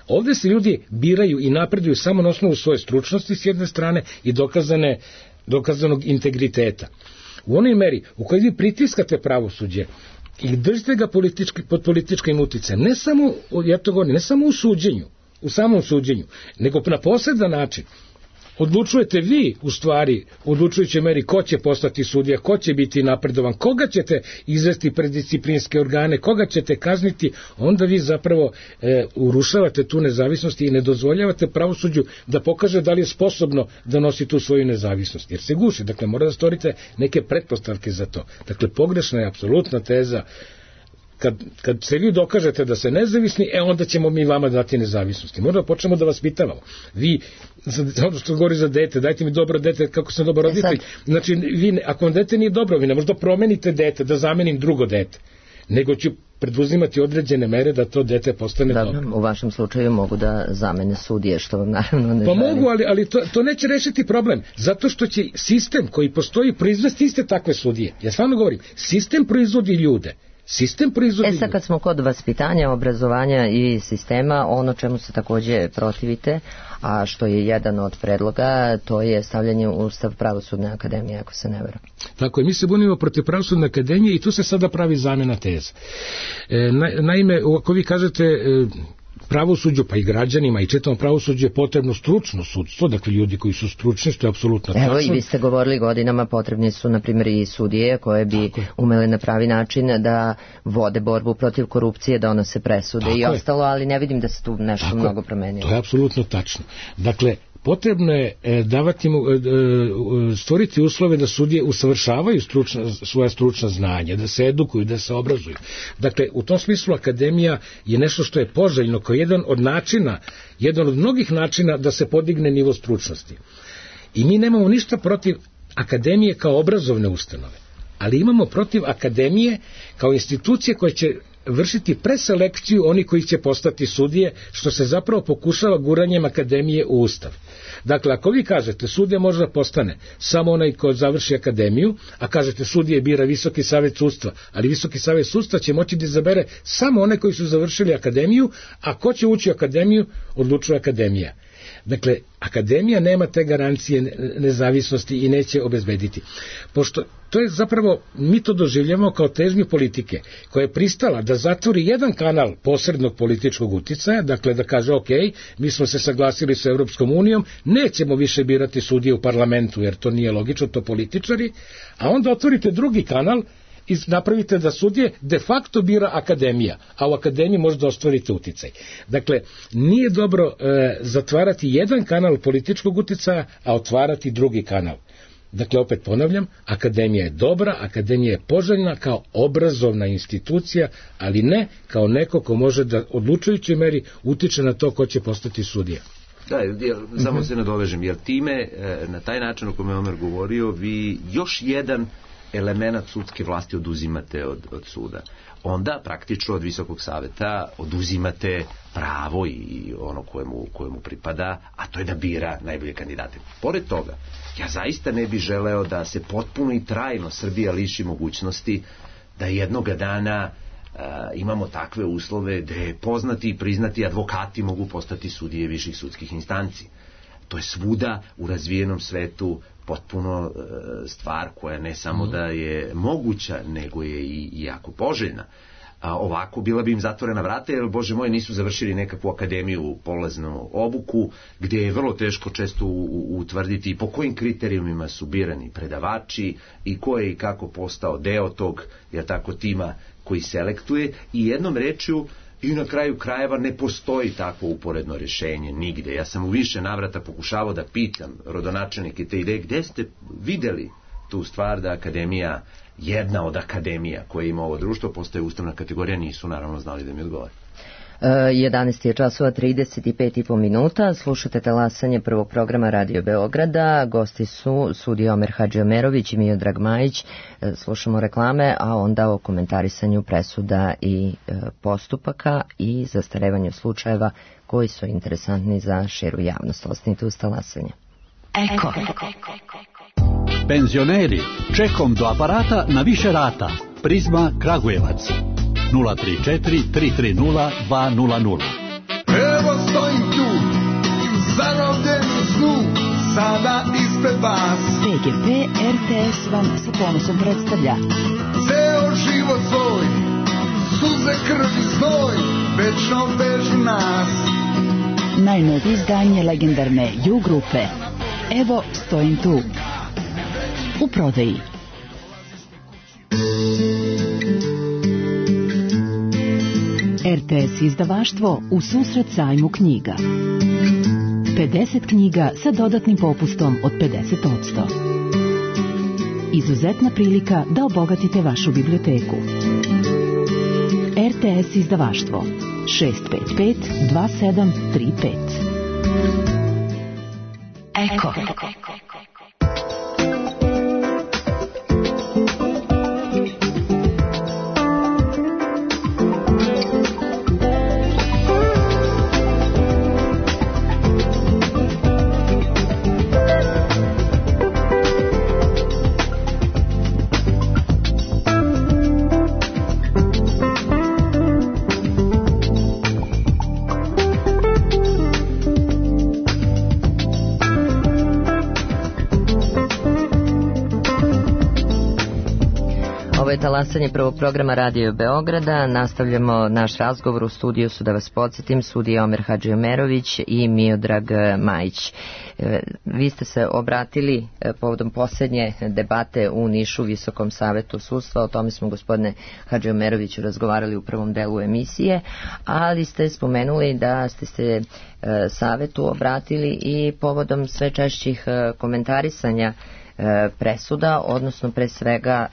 Ovde se ljudi biraju i napreduju samo na osnovu svoje stručnosti s jedne strane i dokazane dokazanog integriteta. U onoj meri u kojoj vi pritiskate pravosuđe i držite ga politički, pod političkim uticajem, ne samo, ja to govorim, ne samo u suđenju, u samom suđenju, nego na posredan način, odlučujete vi u stvari u odlučujućoj meri ko će postati sudija, ko će biti napredovan, koga ćete izvesti pred disciplinske organe, koga ćete kazniti, onda vi zapravo e, urušavate tu nezavisnost i ne dozvoljavate pravosuđu da pokaže da li je sposobno da nosi tu svoju nezavisnost, jer se guši. Dakle, mora da stvorite neke pretpostavke za to. Dakle, pogrešna je apsolutna teza. Kad, kad se vi dokažete da ste nezavisni, e onda ćemo mi vama dati nezavisnosti. Možda počnemo da vas pitavamo. Vi, ono što govori za dete, dajte mi dobro dete, kako sam dobar roditelj. Znači, vi, ako vam dete nije dobro, vi ne možda promenite dete, da zamenim drugo dete. Nego ću preduzimati određene mere da to dete postane da, dobro. U vašem slučaju mogu da zamene sudije, što vam naravno ne pa želim. Mogu, ali, ali to, to neće rešiti problem. Zato što će sistem koji postoji proizvesti iste takve sudije. Ja stvarno govorim, sistem proizvodi ljude. Sistem proizvodi. E sad kad smo kod vaspitanja, obrazovanja i sistema, ono čemu se takođe protivite, a što je jedan od predloga, to je stavljanje u Ustav Pravosudne akademije, ako se ne vera. Tako je, mi se bunimo protiv Pravosudne akademije i tu se sada pravi zamena teza. E, na, naime, ako vi kažete e, pravosuđu, pa i građanima i čitavom pravosuđu je potrebno stručno sudstvo, dakle ljudi koji su stručni, što je apsolutno tačno. Evo i vi ste govorili godinama, potrebni su na primjer i sudije koje bi umele na pravi način da vode borbu protiv korupcije, donose presude tako i ostalo, ali ne vidim da se tu nešto tako mnogo promenilo. To je apsolutno tačno. Dakle, potrebno je davati mu, stvoriti uslove da sudije usavršavaju stručna, svoja stručna znanja, da se edukuju, da se obrazuju. Dakle, u tom smislu akademija je nešto što je poželjno kao jedan od načina, jedan od mnogih načina da se podigne nivo stručnosti. I mi nemamo ništa protiv akademije kao obrazovne ustanove, ali imamo protiv akademije kao institucije koje će vršiti preselekciju oni koji će postati sudije, što se zapravo pokušava guranjem akademije u Ustav. Dakle, ako vi kažete sudija može da postane samo onaj ko završi akademiju, a kažete sudije bira Visoki savet sudstva, ali Visoki savet sudstva će moći da izabere samo one koji su završili akademiju, a ko će ući u akademiju, odlučuje akademija. Dakle, akademija nema te garancije nezavisnosti i neće obezbediti. Pošto to je zapravo, mi to doživljamo kao težnju politike, koja je pristala da zatvori jedan kanal posrednog političkog uticaja, dakle da kaže ok, mi smo se saglasili sa Europskom unijom, nećemo više birati sudije u parlamentu, jer to nije logično, to političari, a onda otvorite drugi kanal i napravite da sudije de facto bira akademija, a u akademiji možda ostvarite uticaj. Dakle, nije dobro e, zatvarati jedan kanal političkog uticaja, a otvarati drugi kanal. Dakle, opet ponavljam, akademija je dobra, akademija je poželjna kao obrazovna institucija, ali ne kao neko ko može da odlučujućoj meri utiče na to ko će postati sudija. Da, jer, samo uh-huh. se nadovežem, jer time, na taj način o kome je Omer govorio, vi još jedan element sudske vlasti oduzimate od, od suda. Onda praktično od Visokog saveta oduzimate pravo i ono kojemu, kojemu pripada, a to je da bira najbolje kandidate. Pored toga, ja zaista ne bih želeo da se potpuno i trajno Srbija liši mogućnosti da jednoga dana imamo takve uslove gde poznati i priznati advokati mogu postati sudije viših sudskih instanci. To je svuda u razvijenom svetu potpuno stvar koja ne samo da je moguća, nego je i jako poželjna. A ovako bila bi im zatvorena vrata, jer, Bože moj, nisu završili nekakvu akademiju, polaznu obuku, gdje je vrlo teško često utvrditi po kojim kriterijumima su birani predavači i ko je i kako postao deo tog, jer tako, tima koji selektuje. I jednom rečju, i na kraju krajeva ne postoji takvo uporedno rješenje nigde. Ja sam u više navrata pokušavao da pitam rodonačelnike te ideje, gde ste videli tu stvar da akademija, jedna od akademija koje ima ovo društvo, postaje ustavna kategorija, nisu naravno znali da mi odgovore. jedanaest je časova trideset pet i po minuta, slušate talasanje prvog programa Radio Beograda, gosti su sudija Omer Hadžiomerović i Miodrag Majić, slušamo reklame, a onda o komentarisanju presuda i postupaka i zastarevanju slučajeva koji su interesantni za širu javnost. Ostanite uz talasanje. Eko. Penzioneri, čekom do aparata na više rata. Prizma Kragujevac. nula tri četiri tri tri nula dva nula nula. Evo stojim tu, zarobljen u snu, sada ispred vas. P G P R T S vam sa ponosom predstavlja Ceo život svoj, suze, krv i znoj, večno vežu nas. najnovije izdanje legendarne U grupe. Evo stojim tu. U prodaji. R T S izdavaštvo u susret sajmu knjiga. pedeset knjiga sa dodatnim popustom od pedeset posto. Izuzetna prilika da obogatite vašu biblioteku. R T S izdavaštvo šest pet pet dva sedam tri pet. Eko. Talasanje prvog programa Radio Beograda. Nastavljamo naš razgovor. U studiju su, da vas podsjetim, sudija Omer Hadžiomerović i Miodrag Majić. Vi ste se obratili povodom posljednje debate u Nišu Visokom savetu sudstva. O tome smo, gospodine Hadžiomeroviću, razgovarali u prvom delu emisije, ali ste spomenuli da ste se savetu obratili i povodom sve češćih komentarisanja presuda, odnosno pre svega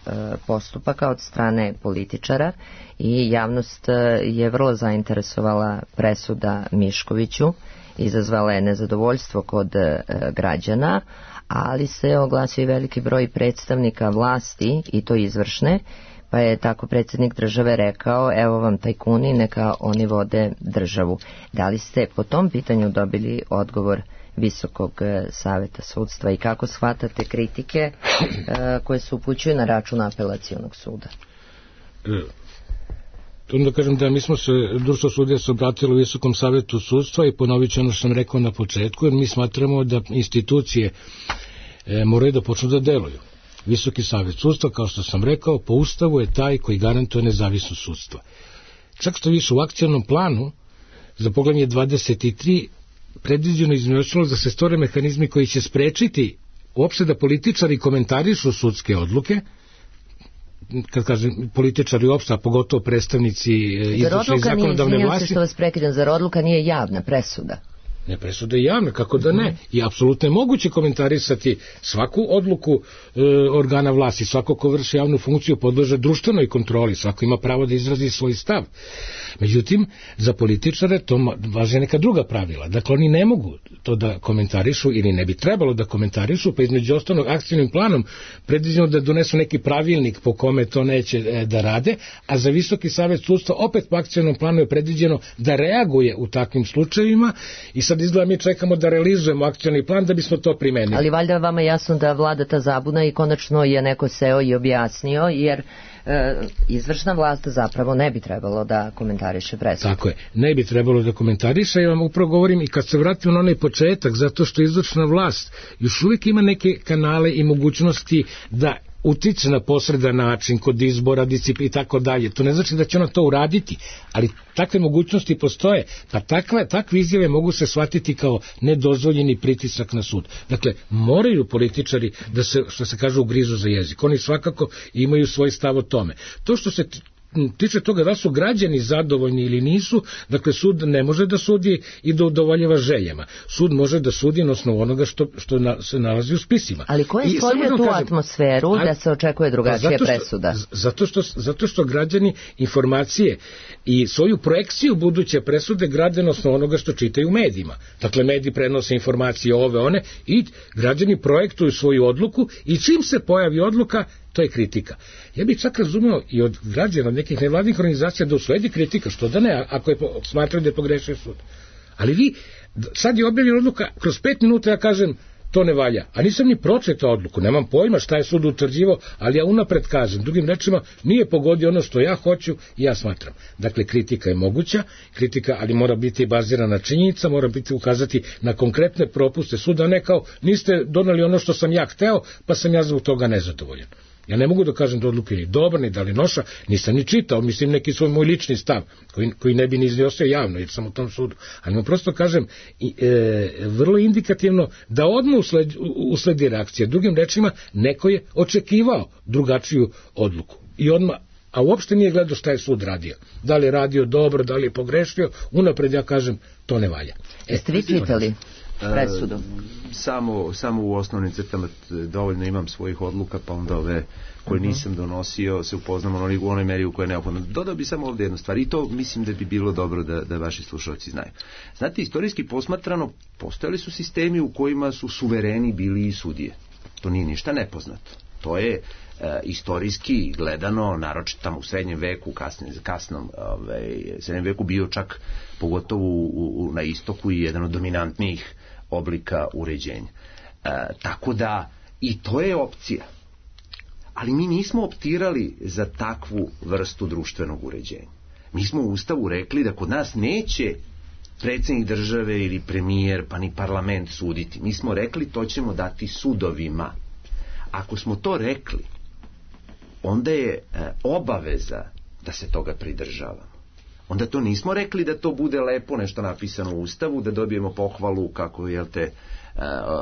postupaka od strane političara, i javnost je vrlo zainteresovala presuda Miškoviću, izazvala je nezadovoljstvo kod građana, ali se oglasio i veliki broj predstavnika vlasti, i to izvršne, pa je tako predsjednik države rekao: evo vam tajkuni, neka oni vode državu. Da li ste po tom pitanju dobili odgovor Visokog saveta sudstva i kako shvatate kritike koje se upućuju na račun apelacionog suda? To da kažem da mi smo se, društvo sudija se obratilo Visokom savetu sudstva i ponovit ću ono što sam rekao na početku, jer mi smatramo da institucije e, moraju da počnu da deluju. Visoki savet sudstva, kao što sam rekao, po ustavu je taj koji garantuje nezavisnost sudstva. Čak što više u akcionom planu za poglavlje dvadeset tri predviđeno između ostalog da se stvore mehanizmi koji će sprečiti uopšte da političari komentarišu sudske odluke, kad kažem političari uopšte, a pogotovo predstavnici izvršne i zakonodavne vlasti. Se što vas prekidam, zar odluka nije javna presuda? Ne, presuda je javna, kako da ne. I apsolutno je moguće komentarisati svaku odluku e, organa vlasti, svako ko vrši javnu funkciju podleže društvenoj kontroli, svako ima pravo da izrazi svoj stav. Međutim, za političare to važe neka druga pravila. Dakle, oni ne mogu to da komentarišu ili ne bi trebalo da komentarišu, pa između ostalog akcijnim planom predviđeno da donesu neki pravilnik po kome to neće e, da rade, a za Visoki savet sudstva opet po akcijnom planu je predviđeno da reaguje u takvim slučajevima, i sad izgleda mi čekamo da realizujemo akcioni plan da bismo to primenili. Ali valjda vama jasno da vlada ta zabuna i konačno je neko seo i objasnio, jer e, izvršna vlast zapravo ne bi trebalo da komentariše presudu. Tako je, ne bi trebalo da komentariše, ja vam upravo govorim i kad se vratim na onaj početak, zato što izvršna vlast još uvijek ima neke kanale i mogućnosti da utiče na posredan način kod izbora, disciplina i tako dalje. To ne znači da će ona to uraditi, ali takve mogućnosti postoje, pa takve, takve izjave mogu se shvatiti kao nedozvoljeni pritisak na sud. Dakle, moraju političari da se, što se kaže, ugrizu za jezik. Oni svakako imaju svoj stav o tome. To što se tiče toga da su građani zadovoljni ili nisu, dakle sud ne može da sudi i da udovoljava željama. Sud može da sudi na osnovu onoga što, što na, se nalazi u spisima. Ali ko je stvorio tu kažem, a, atmosferu da se očekuje drugačija zato što, presuda? Zato što, zato što građani informacije i svoju projekciju buduće presude grade na osnovu onoga što čitaju u medijima. Dakle, mediji prenose informacije ove, one i građani projektuju svoju odluku i čim se pojavi odluka, to je kritika. Ja bih čak razumeo i od građana, od nekih nevladnih organizacija da usledi kritika, što da ne, ako je smatraju da je pogrešio sud. Ali vi, sad je objavljena odluka, kroz pet minuta ja kažem, to ne valja. A nisam ni pročitao odluku, nemam pojma šta je sud utvrđivao, ali ja unapred kažem, drugim rečima, nije pogodio ono što ja hoću i ja smatram. Dakle, kritika je moguća, kritika, ali mora biti bazirana na činjenica, mora biti ukazati na konkretne propuste suda, ne kao, niste doneli ono što sam ja hteo, pa sam ja zbog toga nezadovoljan. Ja ne mogu da kažem da odluke ni dobra, ni da li noša, nisam ni čitao, mislim neki svoj moj lični stav, koji, koji ne bi ni iznosio javno, jer sam u tom sudu. Ali mu prosto kažem, e, vrlo indikativno da odmah usledi, usledi reakcija. Drugim rečima, neko je očekivao drugačiju odluku. I odmah, a uopšte nije gledao šta je sud radio. Da li je radio dobro, da li je pogrešio, unapred ja kažem, to ne valja. E, Jeste vi čitali presudu? E, samo, samo u osnovnim crtama dovoljno imam svojih odluka, pa onda ove koje nisam donosio se upoznam u onoj meri u kojoj je neophodno. Dodao bi samo ovdje jednu stvar i to mislim da bi bilo dobro da, da vaši slušalci znaju. Znate, istorijski posmatrano postojali su sistemi u kojima su suvereni bili i sudije. To nije ništa nepoznato. To je e, istorijski gledano, naročito tamo u srednjem veku, kasnim, kasnom ovaj, srednjem veku bio čak pogotovo u, u, na istoku i jedan od dominantnijih oblika uređenja. E, tako da i to je opcija. Ali mi nismo optirali za takvu vrstu društvenog uređenja. Mi smo u Ustavu rekli da kod nas neće predsjednik države ili premijer pa ni parlament suditi. Mi smo rekli to ćemo dati sudovima. Ako smo to rekli, onda je e, obaveza da se toga pridržavamo. Onda to nismo rekli da to bude lepo nešto napisano u Ustavu, da dobijemo pohvalu kako jel te, e,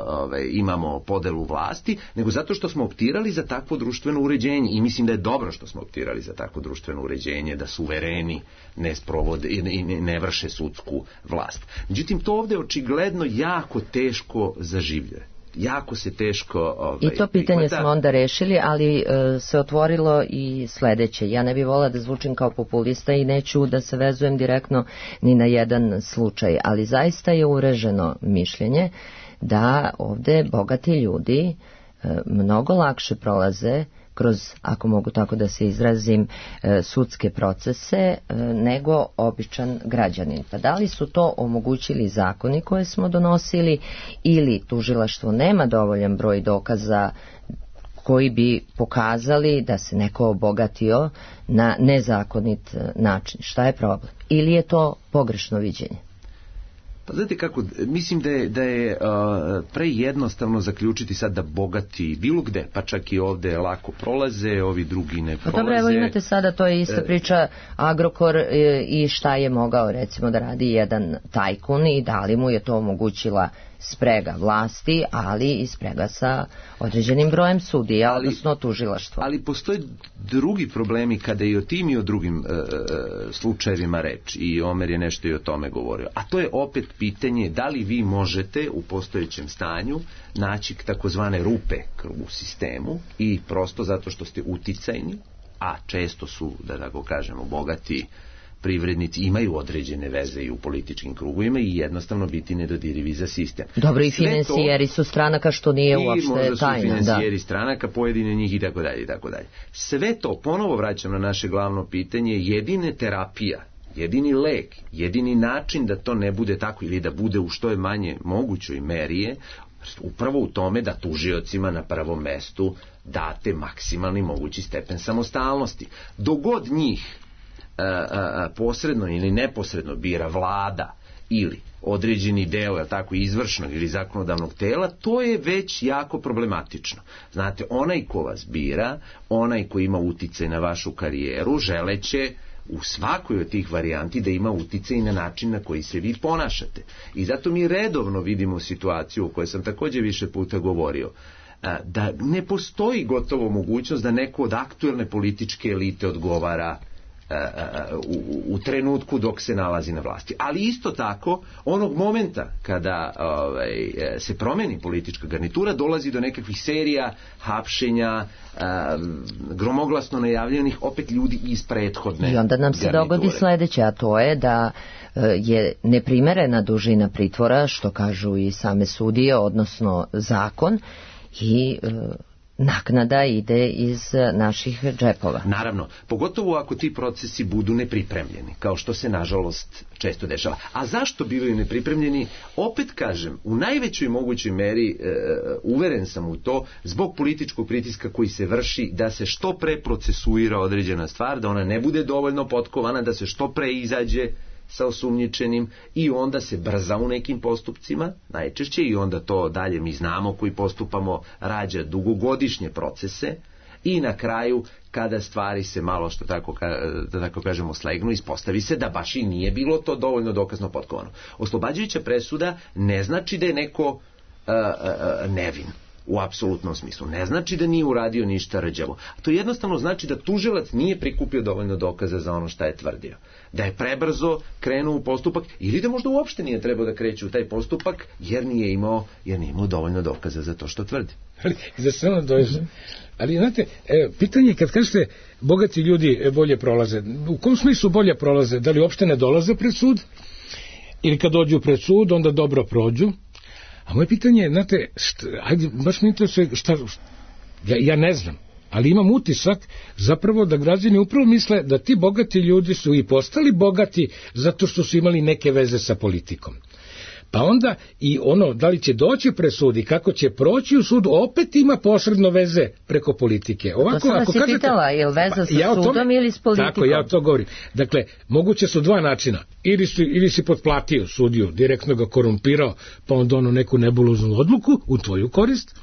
ove, imamo podelu vlasti, nego zato što smo optirali za takvo društveno uređenje i mislim da je dobro što smo optirali za takvo društveno uređenje, da suvereni ne sprovode i ne, ne vrše sudsku vlast. Međutim, to ovdje očigledno jako teško zaživljuje. Jako se teško ovaj, i to pitanje prihvata. Smo onda rešili, ali e, se otvorilo i sledeće. Ja ne bih volila da zvučim kao populista i neću da se vezujem direktno ni na jedan slučaj, ali zaista je ureženo mišljenje da ovde bogati ljudi e, mnogo lakše prolaze kroz, ako mogu tako da se izrazim, e, sudske procese e, nego običan građanin. Pa da li su to omogućili zakoni koje smo donosili ili tužilaštvo nema dovoljan broj dokaza koji bi pokazali da se neko obogatio na nezakonit način? Šta je problem? Ili je to pogrešno viđenje? Pa znate kako, mislim da je, da je uh, prejednostavno zaključiti sad da bogati bilo gde, pa čak i ovde lako prolaze, ovi drugi ne prolaze. Pa dobro, evo imate sada, to je ista priča Agrokor i šta je mogao recimo da radi jedan tajkun i da li mu je to omogućila sprega vlasti, ali i sprega sa određenim brojem sudija, ali, odnosno tužilaštvo. Ali postoje drugi problemi kada i o tim i o drugim e, slučajevima reč i Omer je nešto i o tome govorio. A to je opet pitanje da li vi možete u postojećem stanju naći takozvane rupe u sistemu i prosto zato što ste uticajni, a često su, da tako kažemo, bogati privrednici imaju određene veze i u političkim krugovima i jednostavno biti nedodirivi za sistem. Dobro, i financijeri su stranaka, što nije uopšte tajna. I možda su financijeri stranaka, pojedine njih i tako dalje i tako dalje. Sve to, ponovo vraćam na naše glavno pitanje, jedine terapija, jedini lek, jedini način da to ne bude tako ili da bude u što je manje mogućoj meri je upravo u tome da tužiocima na prvom mestu date maksimalni mogući stepen samostalnosti. Dogod njih a, a, posredno ili neposredno bira vlada ili određeni deo, tako, izvršnog ili zakonodavnog tela, to je već jako problematično. Znate, onaj ko vas bira, onaj ko ima uticaj na vašu karijeru, želeće u svakoj od tih varijanti da ima uticaj na način na koji se vi ponašate. I zato mi redovno vidimo situaciju o kojoj sam također više puta govorio, da ne postoji gotovo mogućnost da neko od aktuelne političke elite odgovara u, u trenutku dok se nalazi na vlasti. Ali isto tako, onog momenta kada ovaj, se promeni politička garnitura, dolazi do nekakvih serija hapšenja, gromoglasno najavljenih opet ljudi iz prethodne I onda nam se garniture. dogodi sledeće, a to je da je neprimerena dužina pritvora, što kažu i same sudije, odnosno zakon, i naknada ide iz naših džepova. Naravno, pogotovo ako ti procesi budu nepripremljeni, kao što se nažalost često dešava. A zašto bivaju nepripremljeni? Opet kažem, u najvećoj mogućoj meri e, uveren sam u to, zbog političkog pritiska koji se vrši da se što pre procesuira određena stvar, da ona ne bude dovoljno potkovana, da se što pre izađe sa osumnjičenim i onda se brza u nekim postupcima, najčešće, i onda to dalje mi znamo koji postupamo rađa dugogodišnje procese i na kraju kada stvari se malo, što tako, da tako kažemo, slegnu, ispostavi se da baš i nije bilo to dovoljno dokazno potkovano. Oslobađajuća presuda ne znači da je neko uh, uh, nevin u apsolutnom smislu. Ne znači da nije uradio ništa rđavo. To jednostavno znači da tužilac nije prikupio dovoljno dokaza za ono šta je tvrdio. Da je prebrzo krenuo u postupak ili da možda uopšte nije trebao da kreće u taj postupak jer nije imao, jer nije imao dovoljno dokaza za to što tvrdi. Ali, za samo dođe. Ali, znate, e, pitanje je kad kažete bogati ljudi bolje prolaze. U kom smislu bolje prolaze? Da li uopšte ne dolaze pred sud? Ili kad dođu pred sud, onda dobro prođu? A moje pitanje je, znate, šta, ajde, baš mi interesuje šta, ja, ja ne znam, ali imam utisak zapravo da građani upravo misle da ti bogati ljudi su i postali bogati zato što su imali neke veze sa politikom. Pa onda i ono, da li će doći pred sud i kako će proći u sudu, opet ima posredno veze preko politike. Ovako, to sam ako vas kažete, je pitala, je li veza sa ja sudom tome, ili s politikom? Tako, ja to govorim. Dakle, moguće su dva načina. Ili, su, ili si potplatio sudiju, direktno ga korumpirao, pa onda ono neku nebuloznu odluku u tvoju korist,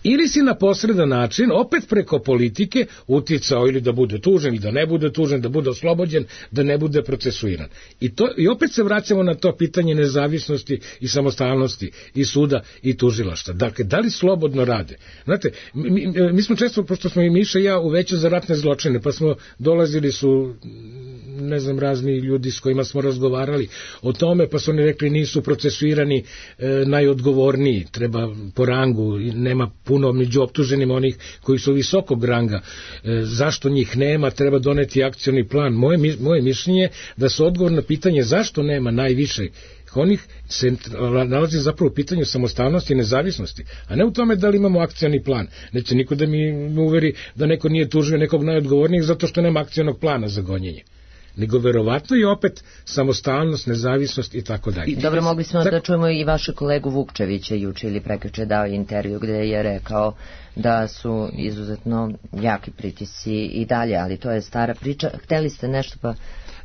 ili si na posredan način, opet preko politike, uticao ili da bude tužen, ili da ne bude tužen, da bude oslobođen, da ne bude procesuiran. I, to, i opet se vraćamo na to pitanje nezavisnosti i samostalnosti i suda i tužilaštva. Dakle, da li slobodno rade? Znate, mi, mi smo često, pošto smo i Miša i ja u veću za ratne zločine, pa smo dolazili su, ne znam, razni ljudi s kojima smo razgovarali o tome, pa su oni rekli nisu procesuirani e, najodgovorniji, treba po rangu, nema puno među optuženim onih koji su visokog ranga. E, zašto njih nema? Treba doneti akcioni plan. Moje, moje mišljenje da se odgovor na pitanje zašto nema najviše onih se nalazi zapravo u pitanju samostalnosti i nezavisnosti, a ne u tome da li imamo akcioni plan. Neće niko da mi uveri da neko nije tužio nekog najodgovornijeg zato što nema akcionog plana za gonjenje. Nego verovatno i opet samostalnost, nezavisnost i tako dalje. Dobro, mogli smo tak... da čujemo i vašu kolegu Vukčevića juče ili prekjuče dao intervju gde je rekao da su izuzetno jaki pritisci i dalje, ali to je stara priča. Hteli ste nešto pa...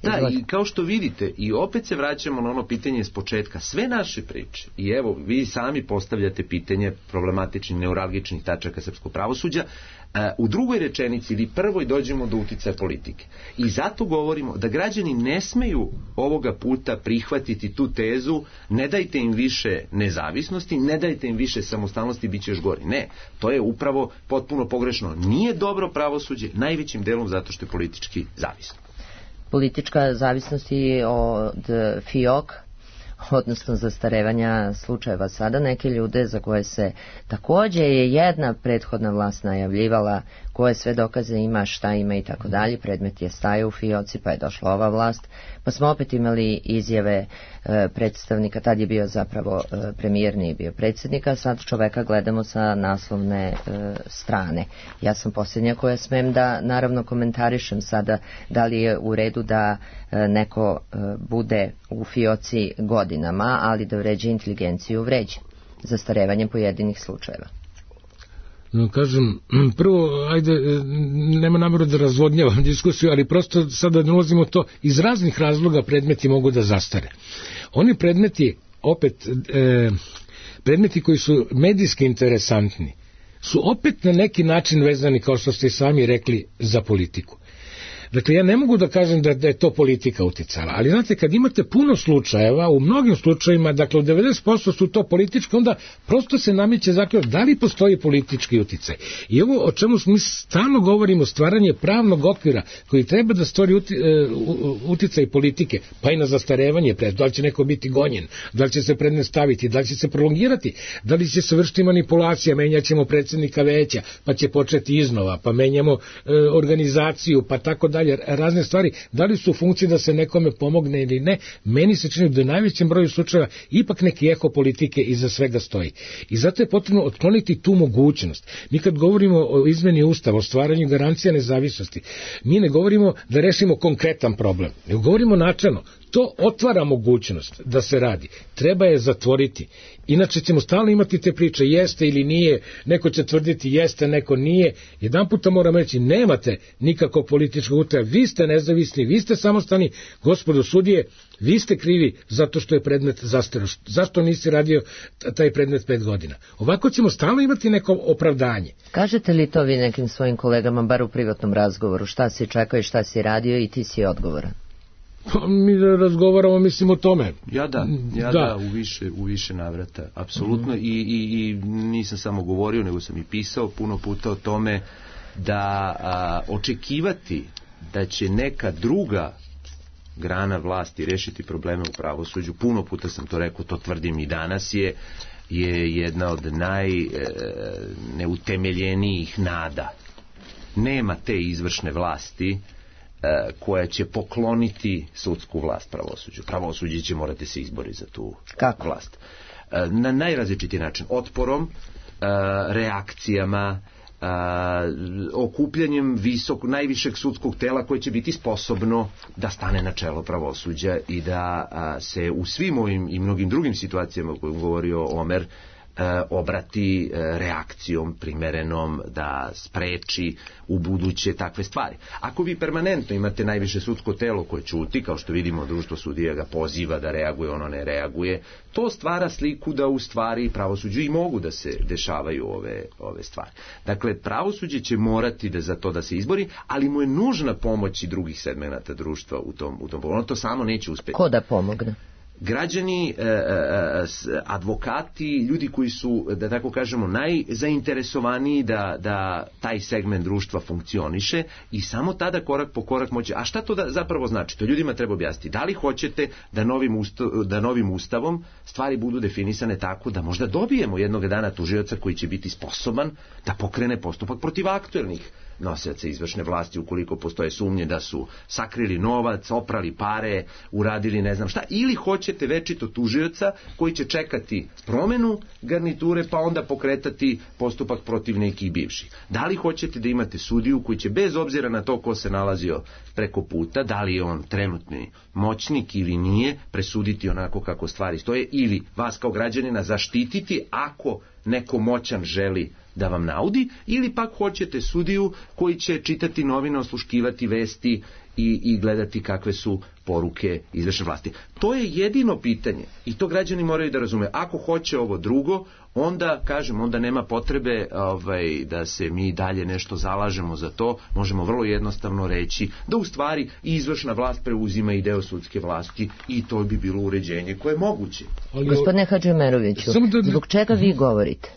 Da, i kao što vidite, i opet se vraćamo na ono pitanje s početka, sve naše priče, i evo, vi sami postavljate pitanje problematičnih, neuralgičnih tačaka srpskog pravosuđa, u drugoj rečenici ili prvoj dođemo do uticaja politike. I zato govorimo da građani ne smeju ovoga puta prihvatiti tu tezu, ne dajte im više nezavisnosti, ne dajte im više samostalnosti, bit će još gori. Ne, to je upravo potpuno pogrešno. Nije dobro pravosuđe, najvećim delom zato što je politički zavisno. Politička zavisnost i od FIOK, odnosno zastarevanja slučajeva sada, neke ljude za koje se takođe je jedna prethodna vlast najavljivala koje sve dokaze ima, šta ima i tako dalje, predmet je stajao u FIOC-i, pa je došla ova vlast, pa smo opet imali izjave e, predstavnika, tad je bio zapravo e, premijer, nije bio predsjednika, sad čoveka gledamo sa naslovne e, strane. Ja sam posljednja koja smem da naravno komentarišem sada da li je u redu da e, neko e, bude u FIOC-i godinama, ali da vređe inteligenciju vređe. zastarevanje pojedinih slučajeva? No, kažem, prvo, ajde, nema nameru da razvodnjavam diskusiju, ali prosto sada ne ulazimo to, iz raznih razloga predmeti mogu da zastare. Oni predmeti, opet, e, predmeti koji su medijski interesantni, su opet na neki način vezani, kao što ste sami rekli, za politiku. Dakle, ja ne mogu da kažem da, da je to politika uticala, ali znate, kad imate puno slučajeva, u mnogim slučajevima, dakle, u devedeset posto su to politički, onda prosto se nameće zaključak da li postoji politički uticaj. I ovo o čemu mi stalno govorimo, stvaranje pravnog okvira koji treba da stvori uti, uh, uticaj politike, pa i na zastarevanje pred, da li će neko biti gonjen, da li će se predmet staviti, da li će se prolongirati, da li će se vršiti manipulacija, menjaćemo predsjednika veća, pa će početi iznova, pa menjamo uh, organizaciju, pa tako dalje, razne stvari, da li su u funkciji da se nekome pomogne ili ne, meni se čini da u najvećem broju slučajeva ipak neki eho politike iza svega stoji. I zato je potrebno otkloniti tu mogućnost. Mi kad govorimo o izmeni Ustava, o stvaranju garancija nezavisnosti, mi ne govorimo da rešimo konkretan problem, nego govorimo načelno. To otvara mogućnost da se radi. Treba je zatvoriti. Inače ćemo stalno imati te priče, jeste ili nije, neko će tvrditi jeste, neko nije. Jedan puta moram reći, nemate nikakvog političkog uticaja, vi ste nezavisni, vi ste samostalni, gospodo sudije, vi ste krivi zato što je predmet zastareo. Zašto nisi radio taj predmet pet godina? Ovako ćemo stalno imati neko opravdanje. Kažete li to vi nekim svojim kolegama, bar u privatnom razgovoru, šta si čekao i šta si radio i ti si odgovoran? Pa mi da razgovaramo, mislim, o tome. Ja da, ja da, da u, više, u više navrata, apsolutno. Mm-hmm. I, i, i nisam samo govorio, nego sam i pisao puno puta o tome da a, očekivati da će neka druga grana vlasti rešiti probleme u pravosuđu, puno puta sam to rekao, to tvrdim i danas, je, je jedna od najneutemeljenijih nada. Nema te izvršne vlasti koja će pokloniti sudsku vlast pravosuđu. Pravosuđe će morati se izboriti za tu Kako? vlast. Na najrazličitiji način. Otporom, reakcijama, okupljanjem visok, najvišeg sudskog tela koje će biti sposobno da stane na čelo pravosuđa i da se u svim ovim i mnogim drugim situacijama o kojim govorio Omer obrati reakcijom primerenom da spreči u buduće takve stvari. Ako vi permanentno imate najviše sudsko telo koje ćuti, kao što vidimo društvo sudija ga poziva da reaguje, ono ne reaguje, to stvara sliku da u stvari pravosuđu i mogu da se dešavaju ove, ove stvari. Dakle, pravosuđe će morati da za to da se izbori, ali mu je nužna pomoć i drugih segmenata društva u tom, u tom ono to samo neće uspjeti. Ko da pomogne? Građani, advokati, ljudi koji su, da tako kažemo, najzainteresovaniji da, da taj segment društva funkcioniše i samo tada korak po korak moći. A šta to da zapravo znači? To ljudima treba objasniti. Da li hoćete da novim, ustav, da novim ustavom stvari budu definisane tako da možda dobijemo jednog dana tužioca koji će biti sposoban da pokrene postupak protiv aktuelnih nosioca izvršne vlasti ukoliko postoje sumnje da su sakrili novac, oprali pare, uradili ne znam šta, ili hoćete večito tužioca koji će čekati promenu garniture pa onda pokretati postupak protiv nekih bivših. Da li hoćete da imate sudiju koji će bez obzira na to ko se nalazio preko puta, da li je on trenutni moćnik ili nije, presuditi onako kako stvari stoje ili vas kao građanina zaštititi ako neko moćan želi da vam naudi, ili pak hoćete sudiju koji će čitati novine, osluškivati vesti i, i gledati kakve su poruke izvršne vlasti. To je jedino pitanje i to građani moraju da razume. Ako hoće ovo drugo, onda, kažem, onda nema potrebe ovaj, da se mi dalje nešto zalažemo za to. Možemo vrlo jednostavno reći da u stvari izvršna vlast preuzima i deo sudske vlasti i to bi bilo uređenje koje je moguće. Ali... Gospodine Hadžimeroviću, da... zbog čega vi govorite?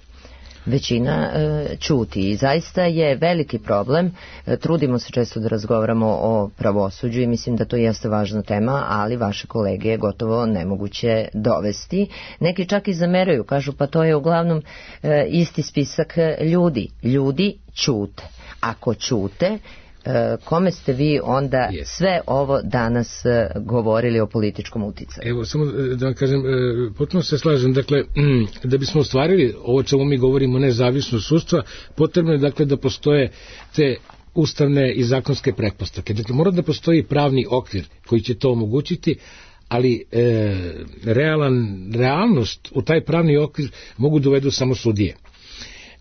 Većina e, čuti i zaista je veliki problem. E, trudimo se često da razgovaramo o pravosuđu i mislim da to jeste važna tema, ali vaše kolege je gotovo nemoguće dovesti. Neki čak i zameraju, kažu pa to je uglavnom e, isti spisak ljudi. Ljudi čute. Ako čute, kome ste vi onda yes. sve ovo danas govorili o političkom uticaju? Evo, samo da vam kažem, potpuno se slažem, dakle, da bismo ostvarili ovo čemu mi govorimo, nezavisnost sudstva, potrebno je, dakle, da postoje te ustavne i zakonske pretpostavke. Dakle, mora da postoji pravni okvir koji će to omogućiti, ali e, realan, realnost u taj pravni okvir mogu dovedu samo sudije.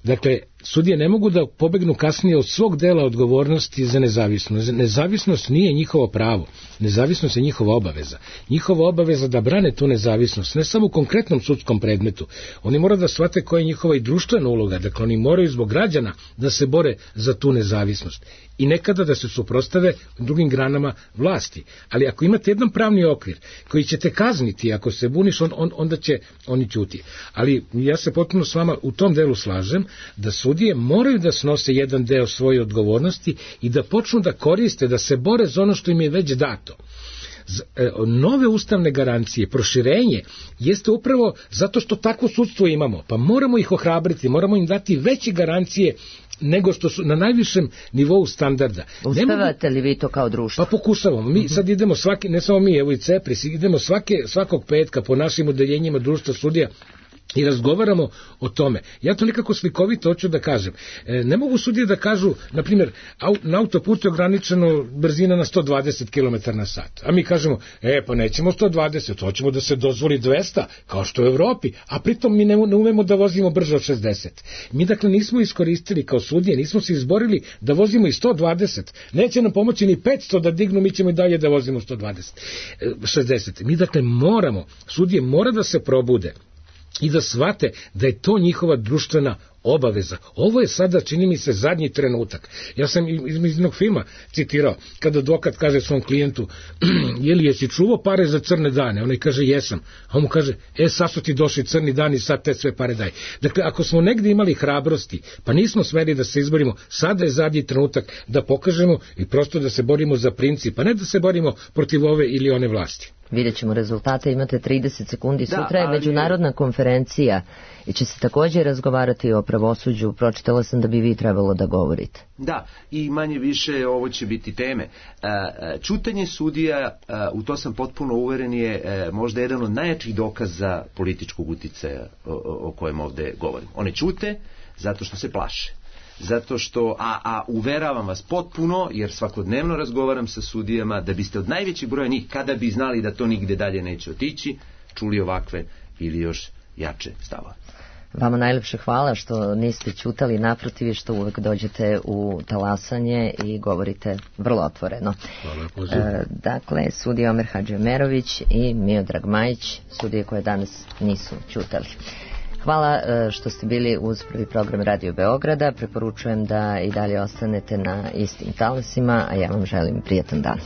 Dakle, sudije ne mogu da pobegnu kasnije od svog dela odgovornosti za nezavisnost. Nezavisnost nije njihovo pravo, nezavisnost je njihova obaveza. Njihova obaveza da brane tu nezavisnost, ne samo u konkretnom sudskom predmetu. Oni moraju da shvate koja je njihova i društvena uloga, dakle oni moraju zbog građana da se bore za tu nezavisnost. I nekada da se suprostave drugim granama vlasti. Ali ako imate jedan pravni okvir koji će te kazniti ako se buniš, on, on, onda će oni ćuti. Ali ja se potpuno s vama u tom delu slažem da sudije moraju da snose jedan deo svoje odgovornosti i da počnu da koriste, da se bore za ono što im je već dato. Nove ustavne garancije, proširenje, jeste upravo zato što takvo sudstvo imamo, pa moramo ih ohrabriti, moramo im dati veće garancije nego što su na najvišem nivou standarda. Uspevate li vi to kao društvo? Pa pokušavamo. Mi sad idemo svaki, ne samo mi, evo i CEPRIS, idemo svake, svakog petka po našim odeljenjima društva sudija i razgovaramo o tome. Ja to nekako slikovito hoću da kažem. E, ne mogu sudije da kažu, na primjer, au, na autoputu je ograničeno brzina na sto dvadeset kilometara na sat. A mi kažemo, e, pa nećemo sto dvadeset, hoćemo da se dozvoli dvesta, kao što u Evropi, a pritom mi ne, ne umemo da vozimo brže od šezdeset. Mi dakle nismo iskoristili kao sudije, nismo se izborili da vozimo i sto dvadeset. Neće nam pomoći ni petsto da dignu, mi ćemo i dalje da vozimo sto dvadeset, šezdeset. Mi dakle moramo, sudije mora da se probude i da shvate da je to njihova društvena obaveza. Ovo je sada, čini mi se, zadnji trenutak. Ja sam iz jednog filma citirao, kada advokat kaže svom klijentu, je li jesi čuvao pare za crne dane? Onaj kaže, jesam. A on mu kaže, e, sad su ti došli crni dani i sad te sve pare daj. Dakle, ako smo negdje imali hrabrosti, pa nismo smeli da se izborimo, sada je zadnji trenutak da pokažemo i prosto da se borimo za princip, a ne da se borimo protiv ove ili one vlasti. Vidjet ćemo rezultate, imate trideset sekundi, Da, sutra je ali- međunarodna konferencija i će se također razgovarati o pravosuđu, pročitala sam da bi vi trebalo da govorite. Da, i manje više ovo će biti teme. E, e, Čutanje sudija, e, u to sam potpuno uveren, je e, možda jedan od najjačih dokaza političkog uticaja o, o o kojem ovde govorim. One ćute zato što se plaše. Zato što, a, a uveravam vas potpuno, jer svakodnevno razgovaram sa sudijama, da biste od najvećeg broja njih, kada bi znali da to nigde dalje neće otići, čuli ovakve ili još jače stavove. Vama najlepše hvala što niste ćutali, naprotiv, što uvek dođete u talasanje i govorite vrlo otvoreno. Hvala, poziv. E, dakle, sudija Omer Hadžimerović i Miodrag Majić, sudije koje danas nisu ćutali. Hvala e, što ste bili uz prvi program Radio Beograda. Preporučujem da i dalje ostanete na istim talasima, a ja vam želim prijatan dan.